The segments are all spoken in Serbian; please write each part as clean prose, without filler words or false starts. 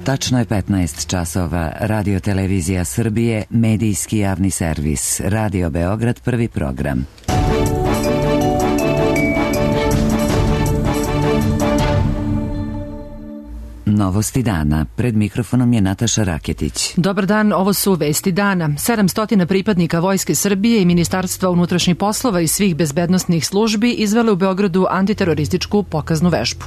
Tačno je 15 časova. Radio Televizija Srbije, medijski javni servis. Radio Beograd, prvi program. Novosti dana. Pred mikrofonom je Nataša Raketić. Dobar dan, ovo su vesti dana. 700 pripadnika Vojske Srbije i Ministarstva unutrašnjih poslova i svih bezbednosnih službi izvele u Beogradu antiterorističku pokaznu vežbu.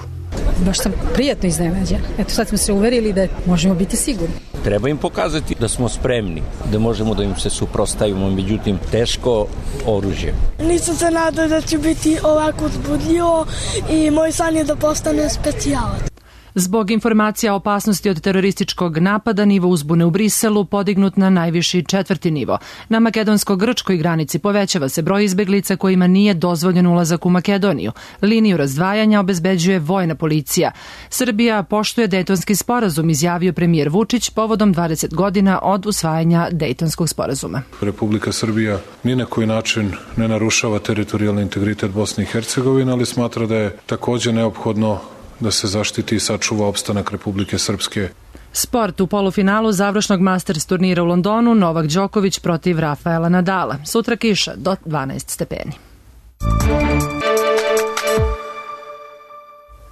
Baš sam prijatno iznenađena. Eto, sad smo se uverili da možemo biti sigurni. Treba im pokazati da smo spremni, da možemo da im se suprotstavimo, međutim, teško oružje. Nisam se nadao da će biti ovako uzbudljivo i moj san je da postane specijalac. Zbog informacija o opasnosti od terorističkog napada, nivo uzbune u Briselu podignut na najviši 4. nivo. Na makedonsko-grčkoj granici povećava se broj izbeglica kojima nije dozvoljen ulazak u Makedoniju. Liniju razdvajanja obezbeđuje vojna policija. Srbija poštuje Dejtonski sporazum, izjavio premijer Vučić povodom 20 godina od usvajanja Dejtonskog sporazuma. Republika Srbija ni na koji način ne narušava teritorijalni integritet Bosne i Hercegovine, ali smatra da je takođe neophodno da se zaštiti i sačuva opstanak Republike Srpske. Sport u polufinalu završnog Masters turnira u Londonu, Novak Đoković protiv Rafaela Nadala. Sutra kiša do 12 stepeni.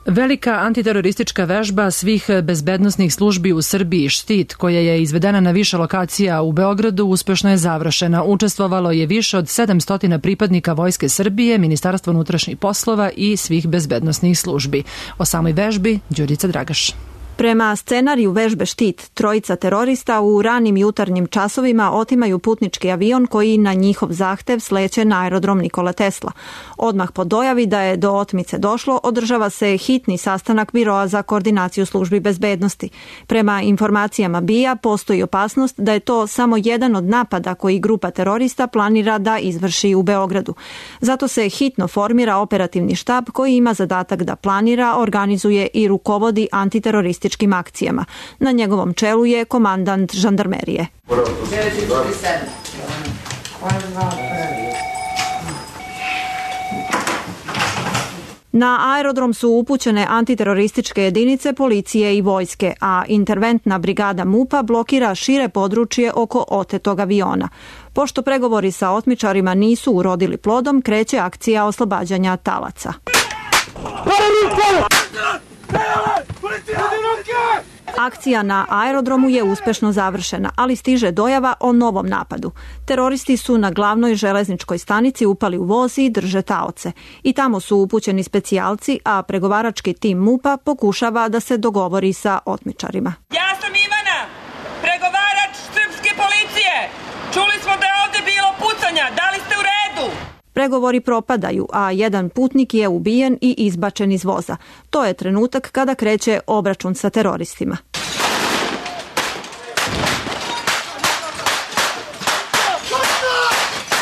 Velika antiteroristička vežba svih bezbednosnih službi u Srbiji Štit, koja je izvedena na više lokacija u Beogradu, uspešno je završena. Učestvovalo je više od 700 pripadnika Vojske Srbije, Ministarstva unutrašnjih poslova i svih bezbednosnih službi. O samoj vežbi Đurica Dragaš. Prema scenariju vežbe Štit, trojica terorista u ranim jutarnjim časovima otimaju putnički avion koji na njihov zahtev sleće na aerodrom Nikola Tesla. Odmah po dojavi da je do otmice došlo, održava se hitni sastanak Biroa za koordinaciju službi bezbednosti. Prema informacijama BIA postoji opasnost da je to samo jedan od napada koji grupa terorista planira da izvrši u Beogradu. Zato se hitno formira operativni štab koji ima zadatak da planira, organizuje i rukovodi antiterorističkim akcijama. Na njegovom čelu je komandant žandarmerije. Na aerodrom su upućene antiterorističke jedinice policije i vojske, a interventna brigada MUP-a blokira šire područje oko otetog aviona. Pošto pregovori sa otmičarima nisu urodili plodom, kreće akcija oslobađanja talaca. Akcija na aerodromu je uspešno završena, ali stiže dojava o novom napadu. Teroristi su na glavnoj železničkoj stanici upali u voz i drže taoce. I tamo su upućeni specijalci, a pregovarački tim MUP-a pokušava da se dogovori sa otmičarima. Ja sam Ivana, pregovarač srpske policije. Čuli smo da je ovde bilo pucanja, da li ste u redu? Pregovori propadaju, a jedan putnik je ubijen i izbačen iz voza. To je trenutak kada kreće obračun sa teroristima.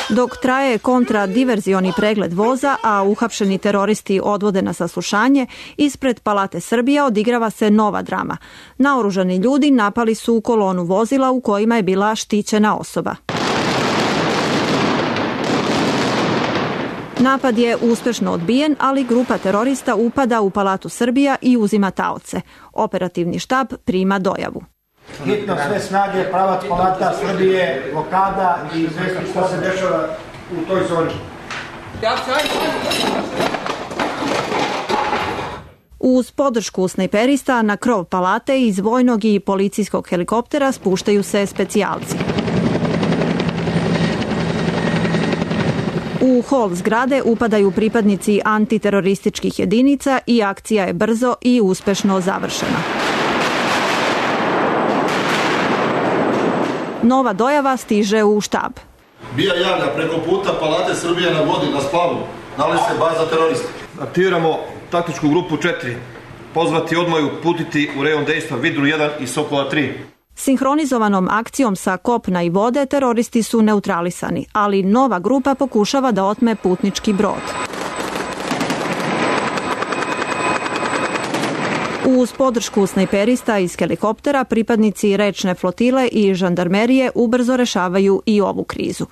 Dok traje kontradiverzioni pregled voza, a uhapšeni teroristi odvode na saslušanje, ispred Palate Srbija odigrava se nova drama. Naoružani ljudi napali su kolonu vozila u kojima je bila štićena osoba. Napad je uspešno odbijen, ali grupa terorista upada u Palatu Srbija i uzima taoce. Operativni štab prima dojavu. Hitno sve snage, pravac Palata Srbije, blokada i izvesti što se dešava u toj zoni. Uz podršku snajperista na krov palate iz vojnog i policijskog helikoptera spuštaju se specijalci. U hol zgrade upadaju pripadnici antiterorističkih jedinica i akcija je brzo i uspešno završena. Nova dojava stiže u štab. BIA javlja preko puta Palate Srbije na vodi na splavu. Nalazi se baza terorista. Aktiviramo taktičku grupu 4. Pozvati odmah i uputiti u rejon dejstva Vidru 1 i Sokola 3. Sinhronizovanom akcijom sa kopna i vode teroristi su neutralisani, ali nova grupa pokušava da otme putnički brod. Uz podršku snajperista iz helikoptera, pripadnici rečne flotile i žandarmerije ubrzo rešavaju i ovu krizu.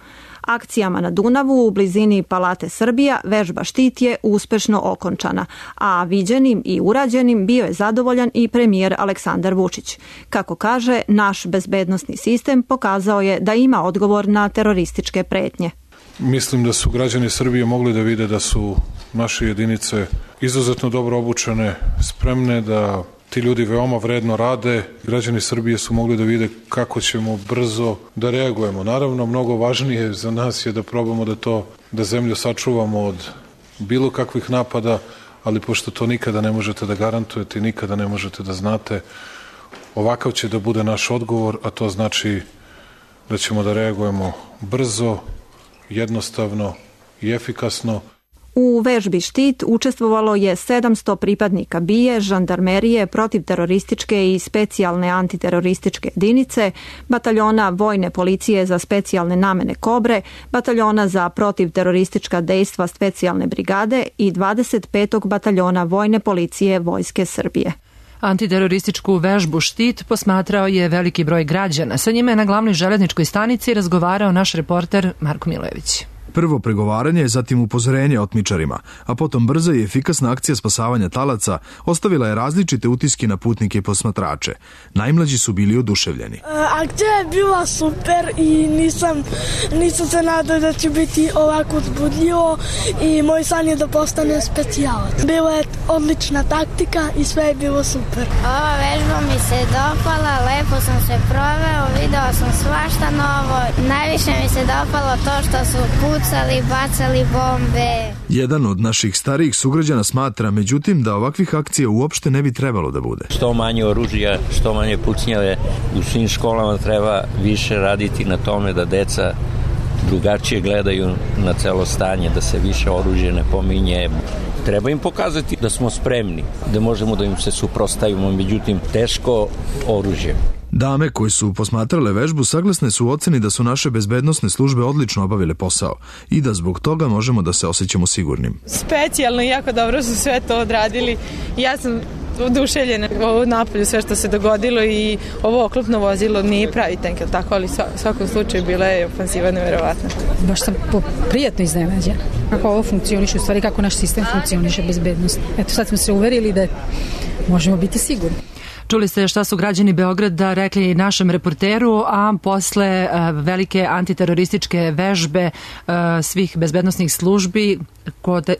Akcijama na Dunavu u blizini Palate Srbija vežba Štit je uspešno okončana, a viđenim i urađenim bio je zadovoljan i premijer Aleksandar Vučić. Kako kaže, naš bezbednosni sistem pokazao je da ima odgovor na terorističke pretnje. Mislim da su građani Srbije mogli da vide da su naše jedinice izuzetno dobro obučene, spremne, da ti ljudi veoma vredno rade. Građani Srbije su mogli da vide kako ćemo brzo da reagujemo. Naravno, mnogo važnije za nas je da probamo da zemlju sačuvamo od bilo kakvih napada, ali pošto to nikada ne možete da garantujete i nikada ne možete da znate, ovakav će da bude naš odgovor, a to znači da ćemo da reagujemo brzo, jednostavno i efikasno. U vežbi Štit učestvovalo je 700 pripadnika BIA, žandarmerije, protivterorističke i specijalne antiterorističke jedinice, bataljona vojne policije za specijalne namene Kobre, bataljona za protivteroristička dejstva specijalne brigade i 25. bataljona vojne policije Vojske Srbije. Antiterorističku vežbu Štit posmatrao je veliki broj građana. Sa njima je na glavnoj železničkoj stanici razgovarao naš reporter Marko Milojević. Prvo pregovaranje, zatim upozorenje otmičarima, a potom brza i efikasna akcija spasavanja talaca ostavila je različite utiske na putnike i posmatrače. Najmlađi su bili oduševljeni. Akcija je bila super i nisam se nadao da će biti ovako uzbudljivo i moj san je da postane specijalac. Bila je odlična taktika i sve je bilo super. Ova vežba mi se dopala, lepo sam se proveo, video sam svašta novo. Najviše mi se dopalo to što su bacali bombe. Jedan od naših starijih sugrađana smatra, međutim, da ovakvih akcija uopšte ne bi trebalo da bude. Što manje oružja, što manje pucnjave, u svim školama treba više raditi na tome da deca drugačije gledaju na celo stanje, da se više oružje ne pominje. Treba im pokazati da smo spremni, da možemo da im se suprotstavimo, međutim, teško oružje. Dame koji su posmatrale vežbu saglasne su u oceni da su naše bezbednosne službe odlično obavile posao i da zbog toga možemo da se osjećamo sigurnim. Specijalno i jako dobro su sve to odradili. Ja sam oduševljena ovo napolju, sve što se dogodilo i ovo oklopno vozilo nije pravi tank, tako, ali u svakom slučaju bila je ofanziva neverovatna. Baš sam prijatno iznenađena. Kako ovo funkcioniše, u stvari kako naš sistem funkcioniše bezbednost. Eto, sad smo se uverili da možemo biti sigurni. Čuli ste šta su građani Beograda rekli našem reporteru, a posle velike antiterorističke vežbe svih bezbednosnih službi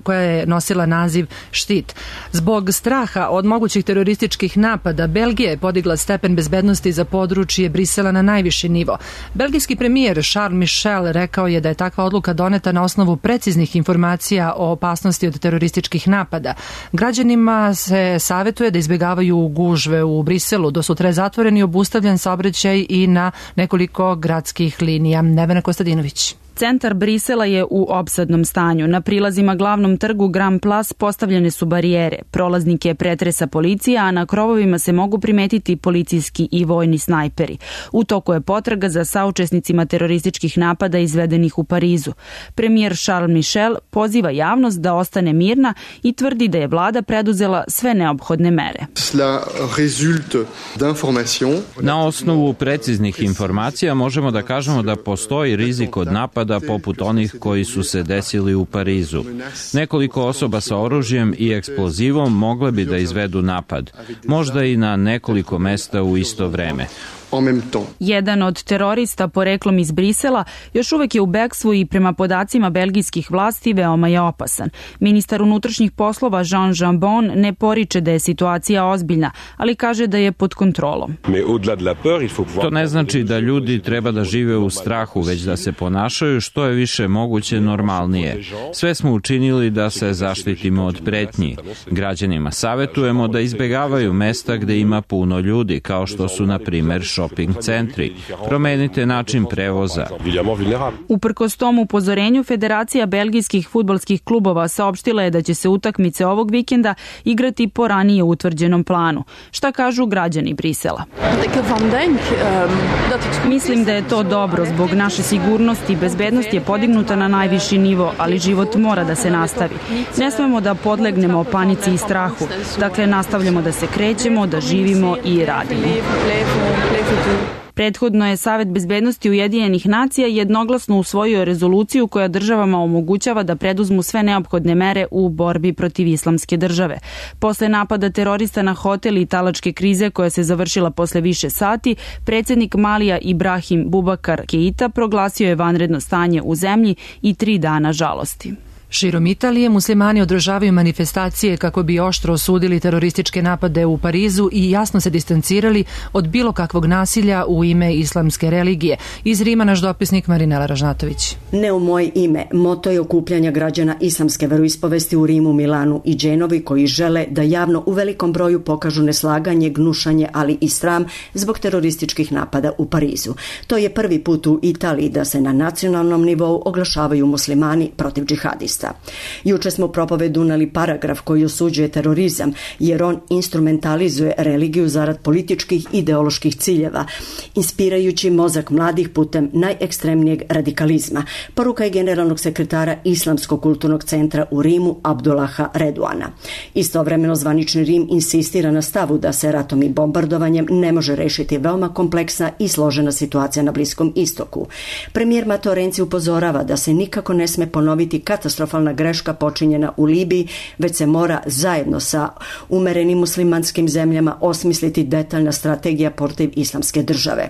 koja je nosila naziv Štit. Zbog straha od mogućih terorističkih napada, Belgija je podigla stepen bezbednosti za područje Brisela na najviši nivo. Belgijski premijer Charles Michel rekao je da je takva odluka doneta na osnovu preciznih informacija o opasnosti od terorističkih napada. Građanima se savetuje da izbjegavaju gužve u Briselu. Do sutra je zatvoren i obustavljen saobraćaj i na nekoliko gradskih linija. Nevena Kostadinović. Centar Brisela je u opsadnom stanju. Na prilazima glavnom trgu Grand Place postavljene su barijere. Prolaznike pretresa policija, a na krovovima se mogu primetiti policijski i vojni snajperi. U toku je potraga za saučesnicima terorističkih napada izvedenih u Parizu. Premijer Charles Michel poziva javnost da ostane mirna i tvrdi da je vlada preduzela sve neophodne mere. Na osnovu preciznih informacija možemo da kažemo da postoji rizik od napada poput onih koji su se desili u Parizu. Nekoliko osoba sa oružjem i eksplozivom mogle bi da izvedu napad, možda i na nekoliko mesta u isto vreme. Jedan od terorista poreklom iz Brisela još uvek je u bekstvu i prema podacima belgijskih vlasti veoma je opasan. Ministar unutrašnjih poslova Jean Jambon ne poriče da je situacija ozbiljna, ali kaže da je pod kontrolom. To ne znači da ljudi treba da žive u strahu, već da se ponašaju što je više moguće normalnije. Sve smo učinili da se zaštitimo od pretnji. Građanima savetujemo da izbegavaju mesta gde ima puno ljudi, kao što su na primer shopping centri. Promenite način prevoza. Uprkos tom upozorenju, Federacija belgijskih fudbalskih klubova saopštila je da će se utakmice ovog vikenda igrati po ranije utvrđenom planu. Šta kažu građani Brisela? Mislim da je to dobro. Zbog naše sigurnosti, bezbednost je podignuta na najviši nivo, ali život mora da se nastavi. Ne smemo da podlegnemo panici i strahu. Dakle, nastavljamo da se krećemo, da živimo i radimo. Prethodno je Savet bezbednosti Ujedinjenih nacija jednoglasno usvojio rezoluciju koja državama omogućava da preduzmu sve neophodne mere u borbi protiv Islamske države. Posle napada terorista na hotel i talačke krize koja se završila posle više sati, predsjednik Malija Ibrahim Bubakar Keita proglasio je vanredno stanje u zemlji i 3 dana žalosti. Širom Italije muslimani održavaju manifestacije kako bi oštro osudili terorističke napade u Parizu i jasno se distancirali od bilo kakvog nasilja u ime islamske religije. Iz Rima naš dopisnik Marinela Ražnatović. Ne u moje ime, moto je okupljanja građana islamske veroispovesti u Rimu, Milanu i Dženovi koji žele da javno u velikom broju pokažu neslaganje, gnušanje, ali i sram zbog terorističkih napada u Parizu. To je prvi put u Italiji da se na nacionalnom nivou oglašavaju muslimani protiv džihadista. Juče smo u propovedu uneli paragraf koji osuđuje terorizam jer on instrumentalizuje religiju zarad političkih ideoloških ciljeva, inspirajući mozak mladih putem najekstremnijeg radikalizma. Poruka je generalnog sekretara Islamskog kulturnog centra u Rimu Abdullaha Reduana. Istovremeno zvanični Rim insistira na stavu da se ratom i bombardovanjem ne može rešiti veoma kompleksna i složena situacija na Bliskom istoku. Premijer Matteo Renzi upozorava da se nikako ne sme ponoviti katastrofalna greška počinjena u Libiji, već se mora zajedno sa umerenim muslimanskim zemljama osmisliti detaljna strategija protiv islamske države.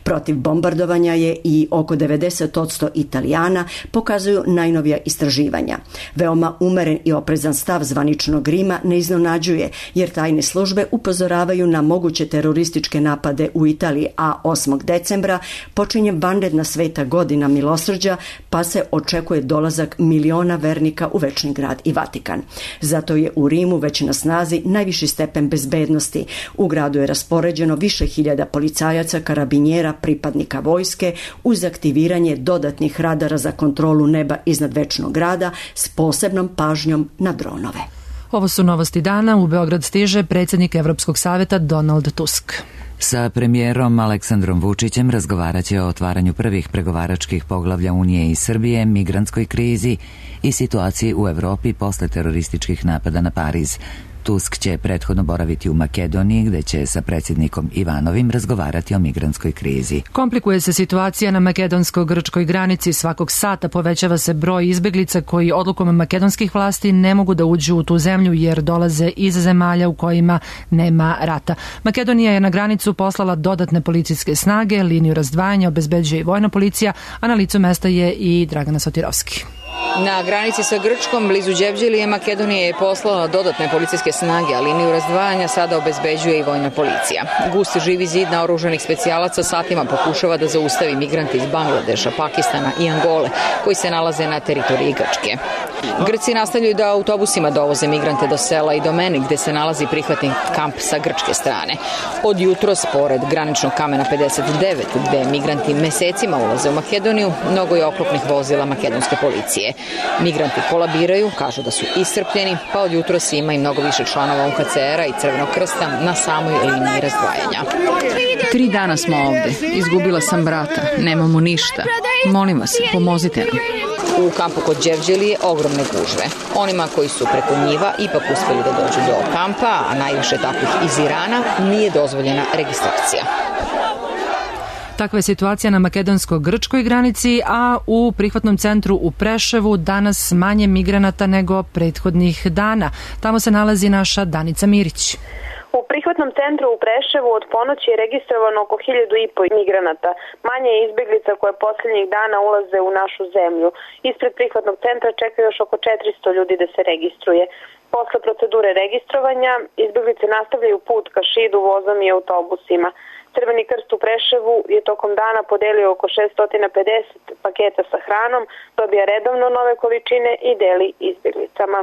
Protiv bombardovanja je i oko 90% Italijana, pokazuju najnovija istraživanja. Veoma umeren i oprezan stav zvaničnog Rima ne iznenađuje, jer tajne službe upozoravaju na moguće terorističke napade u Italiji, a 8. decembra počinje vanredna sveta godina milosrđa, pa se očekuje dolazak miliona vernika u Večni grad i Vatikan. Zato je u Rimu već na snazi najviši stepen bezbednosti. U gradu je raspoređeno više hiljada policajaca, karabinjera, pripadnika vojske uz aktiviranje dodatnih radara za kontrolu neba iznad Večnog grada s posebnom pažnjom na dronove. Ovo su novosti dana. U Beograd stiže predsjednik Evropskog saveta Donald Tusk. Sa premijerom Aleksandrom Vučićem razgovarat će o otvaranju prvih pregovaračkih poglavlja Unije i Srbije, migrantskoj krizi i situaciji u Evropi posle terorističkih napada na Pariz. Tusk će prethodno boraviti u Makedoniji, gde će sa predsjednikom Ivanovim razgovarati o migrantskoj krizi. Komplikuje se situacija na makedonsko-grčkoj granici. Svakog sata povećava se broj izbeglica koji odlukom makedonskih vlasti ne mogu da uđu u tu zemlju jer dolaze iz zemalja u kojima nema rata. Makedonija je na granicu poslala dodatne policijske snage, liniju razdvajanja obezbeđuje i vojna policija, a na licu mesta je i Dragana Sotirovski. Na granici sa Grčkom, blizu Đevđelije, Makedonija je poslala dodatne policijske snage, a liniju razdvajanja sada obezbeđuje i vojna policija. Gust živi zid naoružanih specijalaca satima pokušava da zaustavi migrante iz Bangladeša, Pakistana i Angole, koji se nalaze na teritoriji Grčke. Grci nastavljaju da autobusima dovoze migrante do sela i do Meni, gde se nalazi prihvatni kamp sa grčke strane. Od jutros, pored graničnog kamena 59, gde migranti mesecima ulaze u Makedoniju, mnogo je oklopnih vozila makedonske policije. Migranti kolabiraju, kažu da su iscrpljeni, pa od jutros ima i mnogo više članova UNHCR-a i Crvenog krsta na samoj liniji razdvajanja. 3 dana smo ovde. Izgubila sam brata. Nemamo ništa. Molim vas, pomozite nam. U kampu kod Đevđelije ogromne gužve. Onima koji su preko njiva ipak uspeli da dođu do kampa, a najviše takvih iz Irana, nije dozvoljena registracija. Takva je situacija na makedonsko-grčkoj granici, a u prihvatnom centru u Preševu danas manje migranata nego prethodnih dana. Tamo se nalazi naša Danica Mirić. U prihvatnom centru u Preševu od ponoći je registrovano oko 1.500 migranata. Manje je izbeglica koje posljednjih dana ulaze u našu zemlju. Ispred prihvatnog centra čeka još oko 400 ljudi da se registruje. Posle procedure registrovanja, izbeglice nastavljaju put ka Šidu vozom i autobusima. Crveni krst u Preševu je tokom dana podelio oko 650 paketa sa hranom, dobija redovno nove količine i deli izbjeglicama.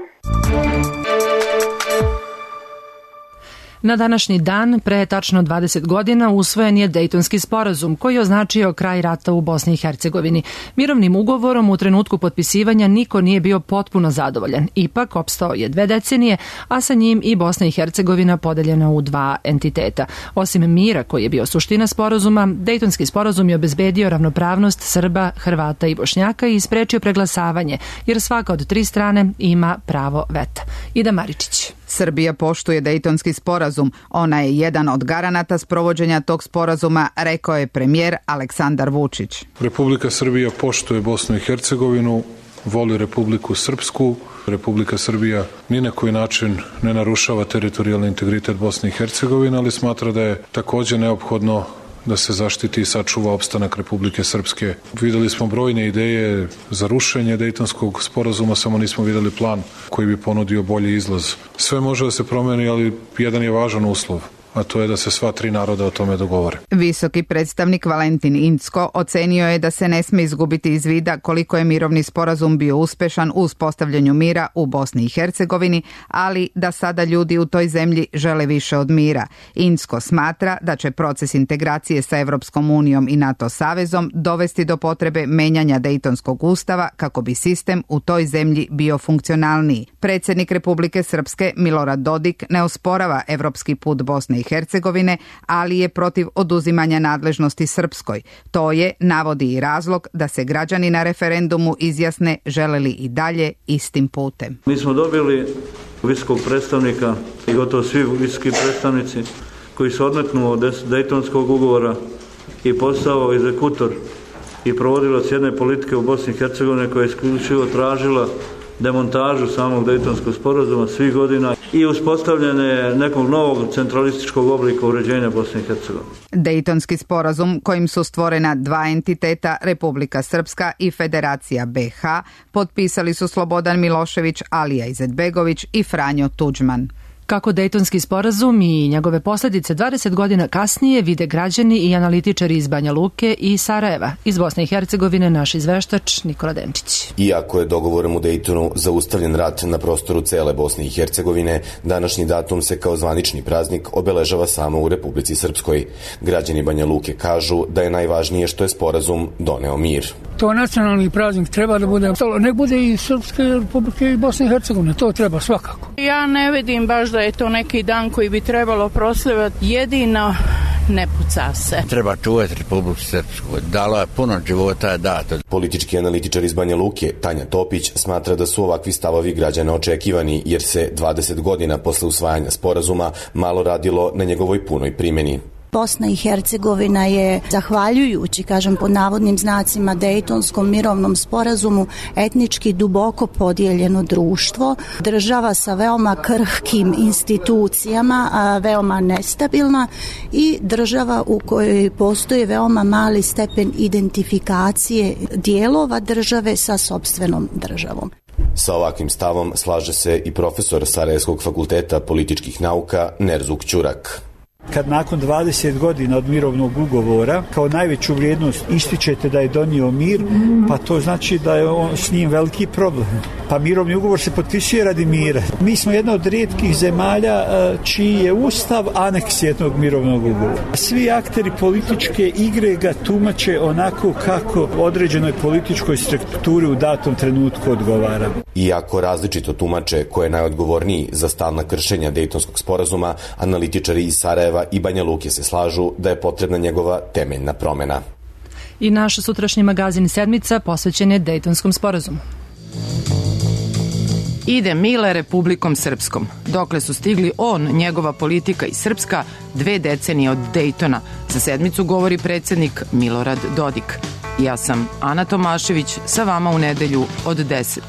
Na današnji dan, pre tačno 20 godina, usvojen je Dejtonski sporazum, koji je označio kraj rata u Bosni i Hercegovini. Mirovnim ugovorom u trenutku potpisivanja niko nije bio potpuno zadovoljan. Ipak, opstao je 2 decenije, a sa njim i Bosna i Hercegovina podeljena u 2 entiteta. Osim mira, koji je bio suština sporazuma, Dejtonski sporazum je obezbedio ravnopravnost Srba, Hrvata i Bošnjaka i sprečio preglasavanje, jer svaka od 3 strane ima pravo veta. Ida Maričić. Srbija poštuje Dejtonski sporazum. Ona je jedan od garanata sprovođenja tog sporazuma, rekao je premijer Aleksandar Vučić. Republika Srbija poštuje Bosnu i Hercegovinu, voli Republiku Srpsku. Republika Srbija ni na koji način ne narušava teritorijalni integritet Bosne i Hercegovine, ali smatra da je takođe neophodno da se zaštiti i sačuva opstanak Republike Srpske. Videli smo brojne ideje za rušenje Dejtonskog sporazuma, samo nismo videli plan koji bi ponudio bolji izlaz. Sve može da se promeni, ali jedan je važan uslov, a to je da se sva tri naroda o tome dogovore. Visoki predstavnik Valentin Incko ocenio je da se ne sme izgubiti iz vida koliko je mirovni sporazum bio uspešan u uspostavljanju mira u Bosni i Hercegovini, ali da sada ljudi u toj zemlji žele više od mira. Incko smatra da će proces integracije sa Evropskom unijom i NATO savezom dovesti do potrebe menjanja Dejtonskog ustava kako bi sistem u toj zemlji bio funkcionalniji. Predsjednik Republike Srpske Milorad Dodik ne osporava evropski put Bosne i Hercegovine, ali je protiv oduzimanja nadležnosti Srpskoj. To je, navodi i razlog da se građani na referendumu izjasne žele li i dalje istim putem. Mi smo dobili visokog predstavnika i gotovo svi visoki predstavnici koji se odmetnuo od Dejtonskog ugovora i postao egzekutor i provodilac jedne politike u Bosni i Hercegovine koja je isključivo tražila demontažu samog Dejtonskog sporazuma svih godina i uspostavljanje nekog novog centralističkog oblika uređenja Bosne i Hercegovine. Dejtonski sporazum kojim su stvorena dva entiteta, Republika Srpska i Federacija BiH, potpisali su Slobodan Milošević, Alija Izetbegović i Franjo Tuđman. Kako Dejtonski sporazum i njegove posljedice 20 godina kasnije vide građani i analitičari iz Banja Luke i Sarajeva. Iz Bosne i Hercegovine naš izveštač Nikola Denčić. Iako je dogovorom u Dejtonu zaustavljen rat na prostoru cele Bosne i Hercegovine, današnji datum se kao zvanični praznik obeležava samo u Republici Srpskoj. Građani Banja Luke kažu da je najvažnije što je sporazum doneo mir. To nacionalni praznik treba da bude, nek bude i Srpske Republike i Bosne i Hercegovine, to treba svakako. Ja ne vidim baš da je to neki dan koji bi trebalo proslavljati, jedino ne puca se. Treba čuvati Republiku Srpsku, dalo je puno života dato. Politički analitičar iz Banja Luke, Tanja Topić, smatra da su ovakvi stavovi građana očekivani, jer se 20 godina posle usvajanja sporazuma malo radilo na njegovoj punoj primjeni. Bosna i Hercegovina je, zahvaljujući, kažem pod navodnim znacima, Dejtonskom mirovnom sporazumu, etnički duboko podijeljeno društvo, država sa veoma krhkim institucijama, veoma nestabilna i država u kojoj postoji veoma mali stepen identifikacije dijelova države sa sopstvenom državom. Sa ovakvim stavom slaže se i profesor Sarajevskog fakulteta političkih nauka Nerzuk Ćurak. Kad nakon 20 godina od mirovnog ugovora kao najveću vrijednost ističete da je donio mir, pa to znači da je on s njim veliki problem. Pa mirovni ugovor se potpisuje radi mira. Mi smo jedna od rijetkih zemalja čiji je ustav aneks jednog mirovnog ugovora. Svi akteri političke igre ga tumače onako kako određenoj političkoj strukturi u datom trenutku odgovara. Iako različito tumače ko je najodgovorniji za stalna kršenja Dejtonskog sporazuma, analitičari iz Sarajeva i Banja Luke se slažu da je potrebna njegova temeljna promjena. I naš sutrašnji magazin Sedmica posvećen je Dejtonskom sporazumu. Ide Mile Republikom Srpskom. Dokle su stigli on, njegova politika i Srpska 2 decenije od Dejtona. Za Sedmicu govori predsjednik Milorad Dodik. Ja sam Ana Tomašević, sa vama u nedelju od 10.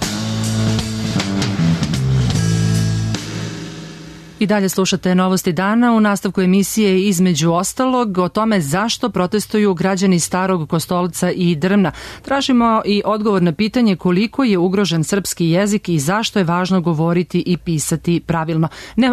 I dalje slušate Novosti dana. U nastavku emisije između ostalog o tome zašto protestuju građani Starog Kostolca i Drmna. Tražimo i odgovor na pitanje koliko je ugrožen srpski jezik i zašto je važno govoriti i pisati pravilno.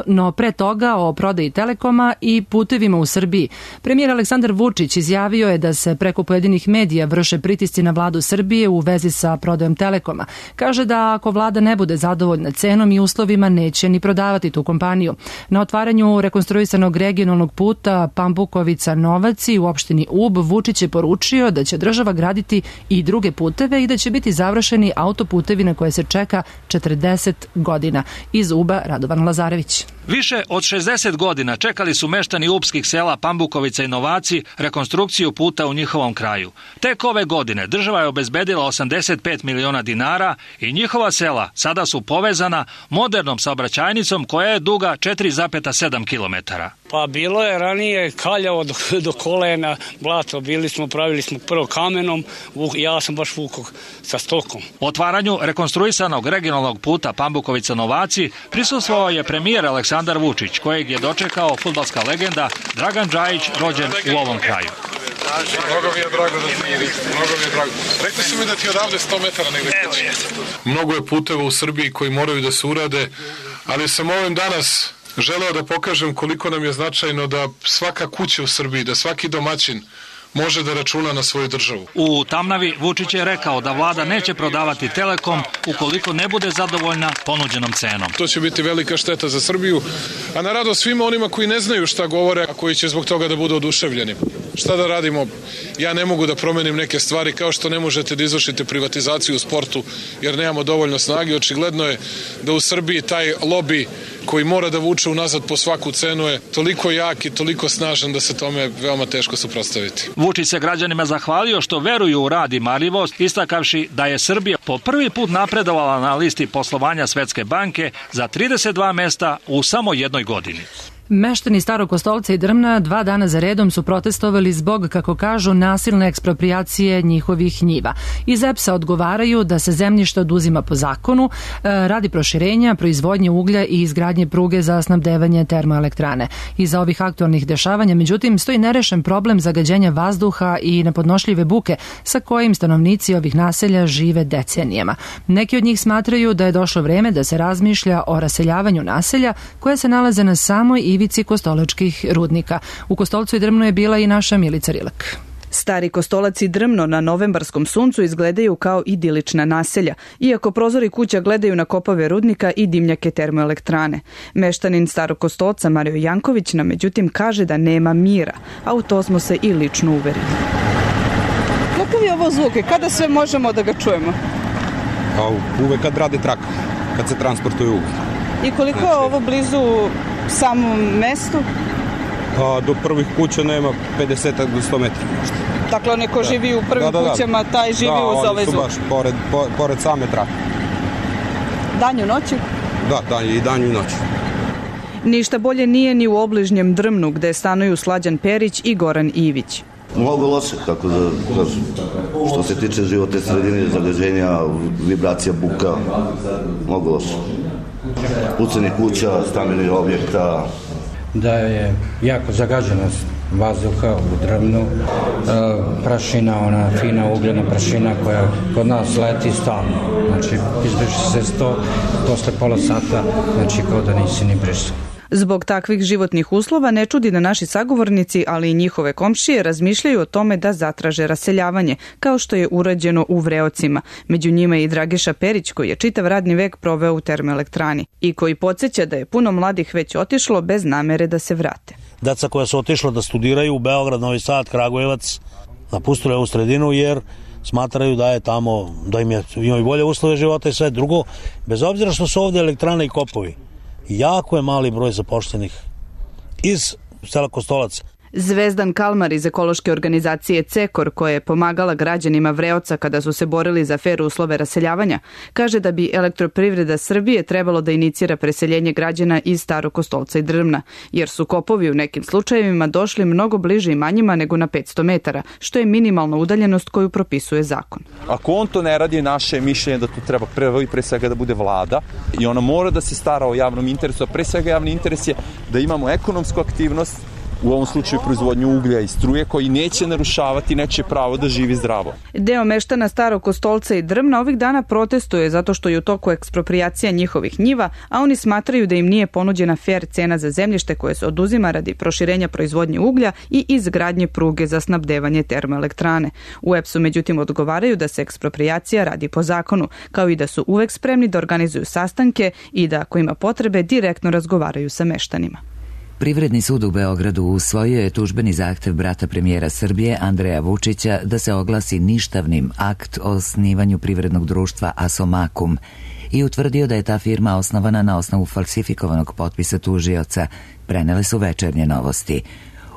No pre toga o prodaji Telekoma i putevima u Srbiji. Premijer Aleksandar Vučić izjavio je da se preko pojedinih medija vrše pritisci na vladu Srbije u vezi sa prodajom Telekoma. Kaže da ako vlada ne bude zadovoljna cenom i uslovima, neće ni prodavati tu kompaniju. Na otvaranju rekonstruisanog regionalnog puta Pambukovica-Novaci u opštini Ub, Vučić je poručio da će država graditi i druge puteve i da će biti završeni autoputevi na koje se čeka 40 godina. Iz Uba Radovan Lazarević. Više od 60 godina čekali su meštani ubskih sela Pambukovica i Novaci rekonstrukciju puta u njihovom kraju. Tek ove godine država je obezbedila 85 miliona dinara i njihova sela sada su povezana modernom saobraćajnicom koja je duga 4,7 kilometara. Pa bilo je ranije kaljavo do kolena, blato, pravili smo prvo kamenom, ja sam baš vukao sa stokom. Otvaranju rekonstruisanog regionalnog puta Pambukovica-Novaci prisustvovao je premijer Aleksandar Vučić, kojeg je dočekao fudbalska legenda Dragan Džajić, rođen u ovom kraju. Mnogo mi je drago da ti vidiš, mnogo mi je drago. Rekli su mi da ti odavde 100 metara negde kući. Mnogo je puteva u Srbiji koji moraju da se urade, ali sam ovim danas želeo da pokažem koliko nam je značajno da svaka kuća u Srbiji, da svaki domaćin može da računa na svoju državu. U Tamnavi Vučić je rekao da vlada neće prodavati Telekom ukoliko ne bude zadovoljna ponuđenom cenom. To će biti velika šteta za Srbiju, a na radost svima onima koji ne znaju šta govore, a koji će zbog toga da budu oduševljeni. Šta da radimo? Ja ne mogu da promenim neke stvari, kao što ne možete da izvršite privatizaciju u sportu jer nemamo dovoljno snage. Očigledno je da u Srbiji taj lobi koji mora da vuče unazad po svaku cenu je toliko jak i toliko snažan da se tome veoma teško suprotstaviti. Vučić se građanima zahvalio što veruju u rad i marljivost, istakavši da je Srbija po prvi put napredovala na listi poslovanja Svetske banke za 32 mesta u samo jednoj godini. Meštani Starog Kostolca i Drmna 2 dana za redom su protestovali zbog, kako kažu, nasilne eksproprijacije njihovih njiva. Iz EPS-a odgovaraju da se zemljište oduzima po zakonu radi proširenja, proizvodnje uglja i izgradnje pruge za snabdevanje termoelektrane. Iza ovih aktualnih dešavanja, međutim, stoji nerešen problem zagađenja vazduha i nepodnošljive buke sa kojim stanovnici ovih naselja žive decenijama. Neki od njih smatraju da je došlo vreme da se razmišlja o raseljavanju naselja koje se nalaze na samoj ivici kostolačkih rudnika. U Kostolcu i Drmnu je bila i naša Milica Rilak. Stari Kostolac i Drmno na novembarskom suncu izgledaju kao idilična naselja, iako prozori kuća gledaju na kopove rudnika i dimnjake termoelektrane. Meštanin Starog Kostolca Mario Janković nam međutim kaže da nema mira, a u to smo se i lično uverili. Kakav je ovo zvuk i kada sve možemo da ga čujemo? Pa uvek kad rade traka, kad se transportuje uglj. I koliko je ovo blizu samom mestu? Pa do prvih kuća nema 50 do 100 metara. Dakle, neko živi u prvim kućama, taj živi uz ovaj zvuk. Da, oni su baš pored same trake. Danju noću? Da, i danju i noću. Ništa bolje nije ni u obližnjem Drmnu, gde stanuju Slađan Perić i Goran Ivić. Mnogo loše, kako da kažem, što se tiče životne sredine, zagađenja, vibracija, buka, mnogo loše. Pucanje kuća, stambenih objekta. Da je jako zagađenost vazduha u Drmnu, prašina, ona fina ugljena prašina koja kod nas leti stalno. Znači, izbriši se 100, posle pola sata, znači kao da nisi ni brisao. Zbog takvih životnih uslova ne čudi da naši sagovornici, ali i njihove komšije, razmišljaju o tome da zatraže raseljavanje, kao što je urađeno u Vreocima. Među njima je i Dragiša Perić, koji je čitav radni vek proveo u termoelektrani i koji podsjeća da je puno mladih već otišlo bez namere da se vrate. Deca koja su otišla da studiraju u Beograd, Novi Sad, Kragujevac, napustili ovu sredinu jer smatraju da je tamo, da imaju bolje uslove života i sve drugo, bez obzira što su ovde elektrane i kopovi. Jako je mali broj zapošljenih iz sela Kostolac. Zvezdan Kalmar iz ekološke organizacije Cekor, koja je pomagala građanima Vreoca kada su se borili za fer uslove raseljavanja, kaže da bi Elektroprivreda Srbije trebalo da inicira preseljenje građana iz Starog Kostolca i Drmna, jer su kopovi u nekim slučajevima došli mnogo bliže imanjima nego na 500 metara, što je minimalna udaljenost koju propisuje zakon. Ako on to ne radi, naše mišljenje da tu treba pre svega da bude vlada i ona mora da se stara o javnom interesu, a pre svega javni interes je da imamo ekonomsku aktivnost u ovom slučaju proizvodnju uglja i struje, koji neće narušavati nečije pravo da živi zdravo. Deo meštana Starog Kostolca i Drmna ovih dana protestuje zato što je u toku eksproprijacija njihovih njiva, a oni smatraju da im nije ponuđena fer cena za zemljište koje se oduzima radi proširenja proizvodnje uglja i izgradnje pruge za snabdevanje termoelektrane. U EPS-u međutim odgovaraju da se eksproprijacija radi po zakonu, kao i da su uvek spremni da organizuju sastanke i da ako ima potrebe direktno razgovaraju sa meštanima. Privredni sud u Beogradu usvojio je tužbeni zahtev brata premijera Srbije Andreja Vučića da se oglasi ništavnim akt o osnivanju privrednog društva Asomakum i utvrdio da je ta firma osnovana na osnovu falsifikovanog potpisa tužioca, prenele su Večernje novosti.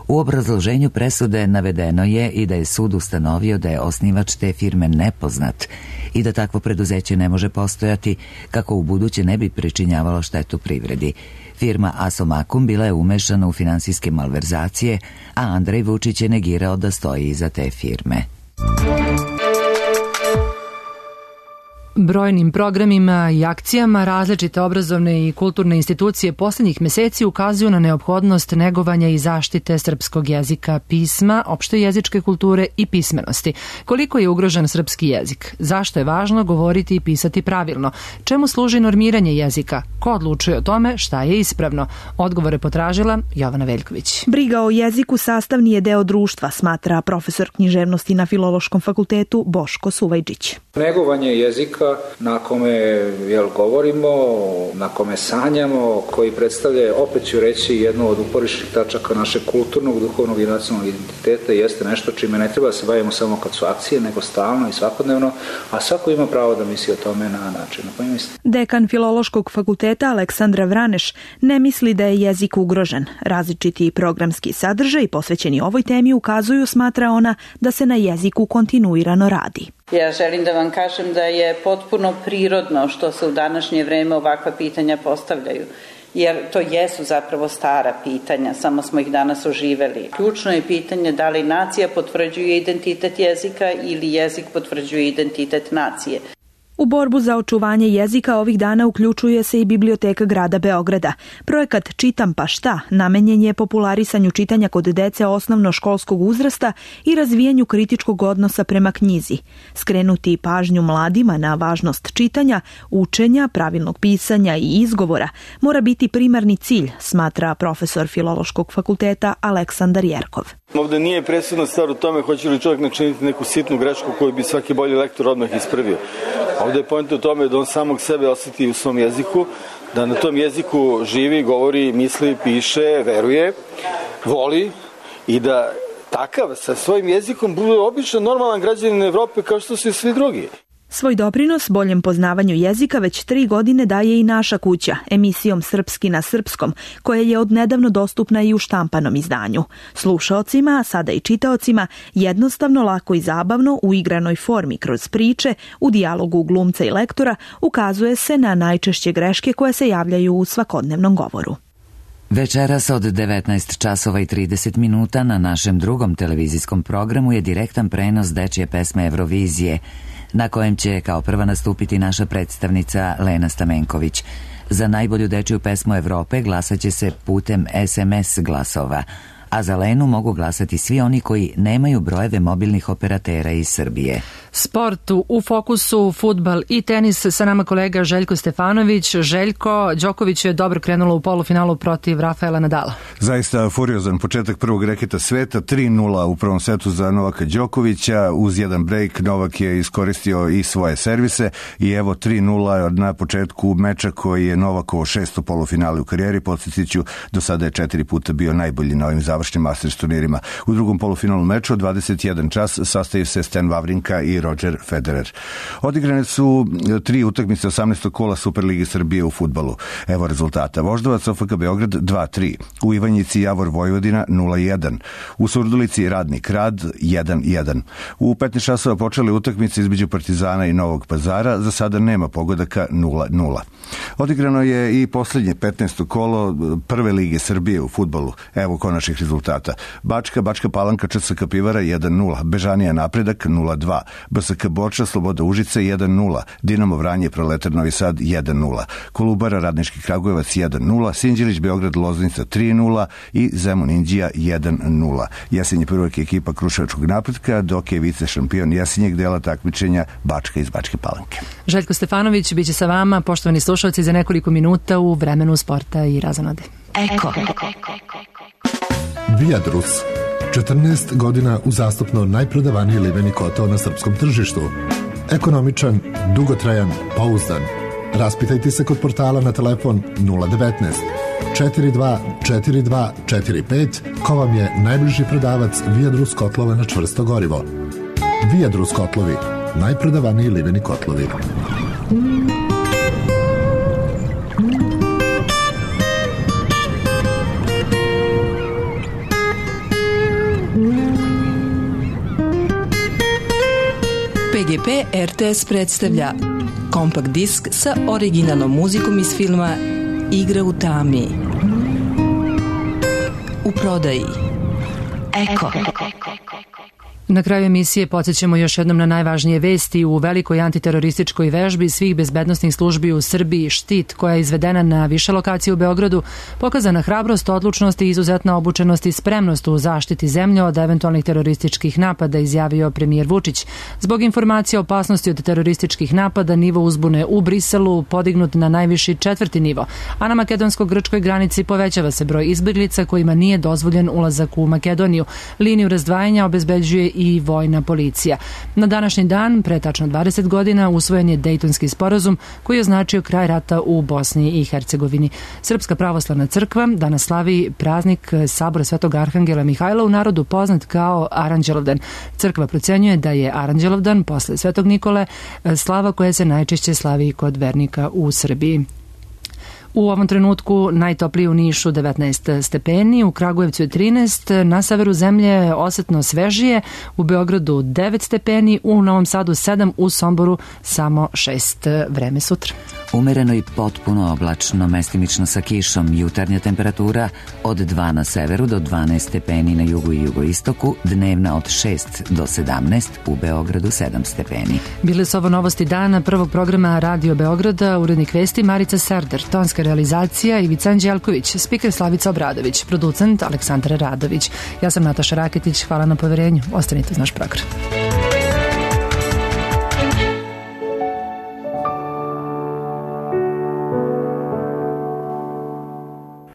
U obrazloženju presude navedeno je i da je sud ustanovio da je osnivač te firme nepoznat i da takvo preduzeće ne može postojati kako u buduće ne bi pričinjavalo štetu privredi. Firma Asomakum bila je umešana u finansijske malverzacije, a Andrej Vučić je negirao da stoji iza te firme. Brojnim programima i akcijama različite obrazovne i kulturne institucije poslednjih meseci ukazuju na neophodnost negovanja i zaštite srpskog jezika, pisma, opšte jezičke kulture i pismenosti. Koliko je ugrožen srpski jezik? Zašto je važno govoriti i pisati pravilno? Čemu služi normiranje jezika? Ko odlučuje o tome šta je ispravno? Odgovore potražila Jovana Veljković. Briga o jeziku sastavni je deo društva, smatra profesor književnosti na Filološkom fakultetu Boško Suvajčić. Negovanje jezika na kome govorimo, na kome sanjamo, koji predstavlja, opet ću reći, jednu od uporišnih tačaka našeg kulturnog, duhovnog i nacionalnog identiteta, jeste nešto čime ne treba da se bavimo samo kad su akcije, nego stalno i svakodnevno, a svako ima pravo da misli o tome na način na koji misli. Dekan Filološkog fakulteta Aleksandra Vraneš ne misli da je jezik ugrožen. Različiti programski sadržaj posvećeni ovoj temi ukazuju, smatra ona, da se na jeziku kontinuirano radi. Ja želim da vam kažem da je potpuno prirodno što se u današnje vreme ovakva pitanja postavljaju, jer to jesu zapravo stara pitanja, samo smo ih danas oživeli. Ključno je pitanje da li nacija potvrđuje identitet jezika ili jezik potvrđuje identitet nacije. U borbu za očuvanje jezika ovih dana uključuje se i Biblioteka grada Beograda. Projekat Čitam pa šta namenjen je popularisanju čitanja kod dece osnovnoškolskog uzrasta i razvijanju kritičkog odnosa prema knjizi. Skrenuti pažnju mladima na važnost čitanja, učenja, pravilnog pisanja i izgovora mora biti primarni cilj, smatra profesor Filološkog fakulteta Aleksandar Jerkov. Ovde nije presudna stvar u tome hoće li čovjek načiniti neku sitnu grešku koju bi svaki bolji lektor odmah ispravio. Ovde je point u tome da on samog sebe osjeti u svom jeziku, da na tom jeziku živi, govori, misli, piše, veruje, voli i da takav sa svojim jezikom bude obično normalan građanin Evrope kao što su i svi drugi. Svoj doprinos boljem poznavanju jezika već 3 godine daje i Naša kuća, emisijom Srpski na srpskom, koja je odnedavno dostupna i u štampanom izdanju. Slušaocima, a sada i čitaocima, jednostavno, lako i zabavno, u igranoj formi kroz priče, u dijalogu glumca i lektora, ukazuje se na najčešće greške koje se javljaju u svakodnevnom govoru. Večeras od 19 časova i 30 minuta na našem drugom televizijskom programu je direktan prenos dečje pesme Eurovizije, na kojem će kao prva nastupiti naša predstavnica Lena Stamenković. Za najbolju dečju pesmu Evrope glasat će se putem SMS glasova, a za Lenu mogu glasati svi oni koji nemaju brojeve mobilnih operatera iz Srbije. Sport u fokusu, fudbal i tenis, sa nama kolega Željko Stefanović. Željko, Đoković je dobro krenulo u polufinalu protiv Rafaela Nadala. Zaista furiozan početak prvog reketa sveta, 3-0 u prvom setu za Novaka Đokovića, uz jedan break Novak je iskoristio i svoje servise i evo 3-0 na početku meča koji je Novakovo 6. polufinale u karijeri. Podsjetiću, do sada je 4 puta bio najbolji na ovim završnim Masters turnirima. U drugom polufinalnom meču od 21 čas sastaju se Stan Wawrinka i Roger Federer. Odigrane su 3 utakmice 18. kola Superligi Srbije u fudbalu. Evo rezultata. Voždovac OFK Beograd 2-3. U Ivanjici Javor Vojvodina 0-1. U Surdulici Radnik Rad 1-1. U 15 časova počele utakmice između Partizana i Novog Pazara. Za sada nema pogodaka 0-0. Odigrano je i poslednje 15. kolo Prve lige Srbije u fudbalu. Evo konačnih rezultata. rezultata. Bačka Palanka ČSK Pivara 1-0, Bežanija Napredak 0-2, BSK Borča Sloboda Užice 1-0, Dinamo Vranje Proletar Novi Sad 1-0, Kolubara Radnički Kragujevac 1-0, Sinđelić Beograd Loznica 3-0 i Zemun Indija 1-0. Jesenje prvak je ekipa Kruševačkog Napretka, dok je vice šampion jesenjeg dela takmičenja Bačka iz Bačke Palanke. Željko Stefanović biće sa vama, poštovani slušalci, za nekoliko minuta u vremenu sporta i razonode. Eko. Viadrus. 14 godina uzastopno najprodavaniji liveni kotao na srpskom tržištu. Ekonomičan, dugotrajan, pouzdan. Raspitajte se kod portala na telefon 019 42 42 45 ko vam je najbliži prodavac Viadrus kotlova na čvrsto gorivo. Viadrus kotlovi, najprodavaniji liveni kotlovi. PGP RTS predstavlja kompakt disk sa originalnom muzikom iz filma Igra u tami. U prodaji. Eko. Na kraju emisije podsjećamo još jednom na najvažnije vesti. U velikoj antiterorističkoj vežbi svih bezbednosnih službi u Srbiji Štit, koja je izvedena na više lokacije u Beogradu, pokazana hrabrost, odlučnost i izuzetna obučenost i spremnost u zaštiti zemlje od eventualnih terorističkih napada, izjavio premijer Vučić. Zbog informacija o opasnosti od terorističkih napada, nivo uzbune u Briselu podignut na najviši 4. nivo, a na makedonsko-grčkoj granici povećava se broj izbeglica kojima nije dozvoljen ulazak u Makedoniju. Liniju razdvajanja obezbeđuje i vojna policija. Na današnji dan, pre tačno 20 godina, usvojen je Dejtonski sporazum koji je označio kraj rata u Bosni i Hercegovini. Srpska pravoslavna crkva danas slavi praznik Sabora Svetog Arhangela Mihajla, u narodu poznat kao Aranđelovdan. Crkva procenjuje da je Aranđelovdan posle Svetog Nikole slava koja se najčešće slavi kod vernika u Srbiji. U ovom trenutku najtopliji u Nišu 19 stepeni, u Kragujevcu je 13, na severu zemlje osetno svežije, u Beogradu 9 stepeni, u Novom Sadu 7, u Somboru samo 6. Vreme sutra. Umereno i potpuno oblačno, mestimično sa kišom, jutarnja temperatura od 2 na severu do 12 stepeni na jugu i jugoistoku, dnevna od 6 do 17, u Beogradu 7 stepeni. Bile su ovo novosti dana prvog programa Radio Beograda, urednik vesti Marica Serder, tonska realizacija Ivica Anđelković, spiker Slavica Obradović, producent Aleksandra Radović. Ja sam Nataša Raketić, hvala na poverenju, ostanite uz naš program.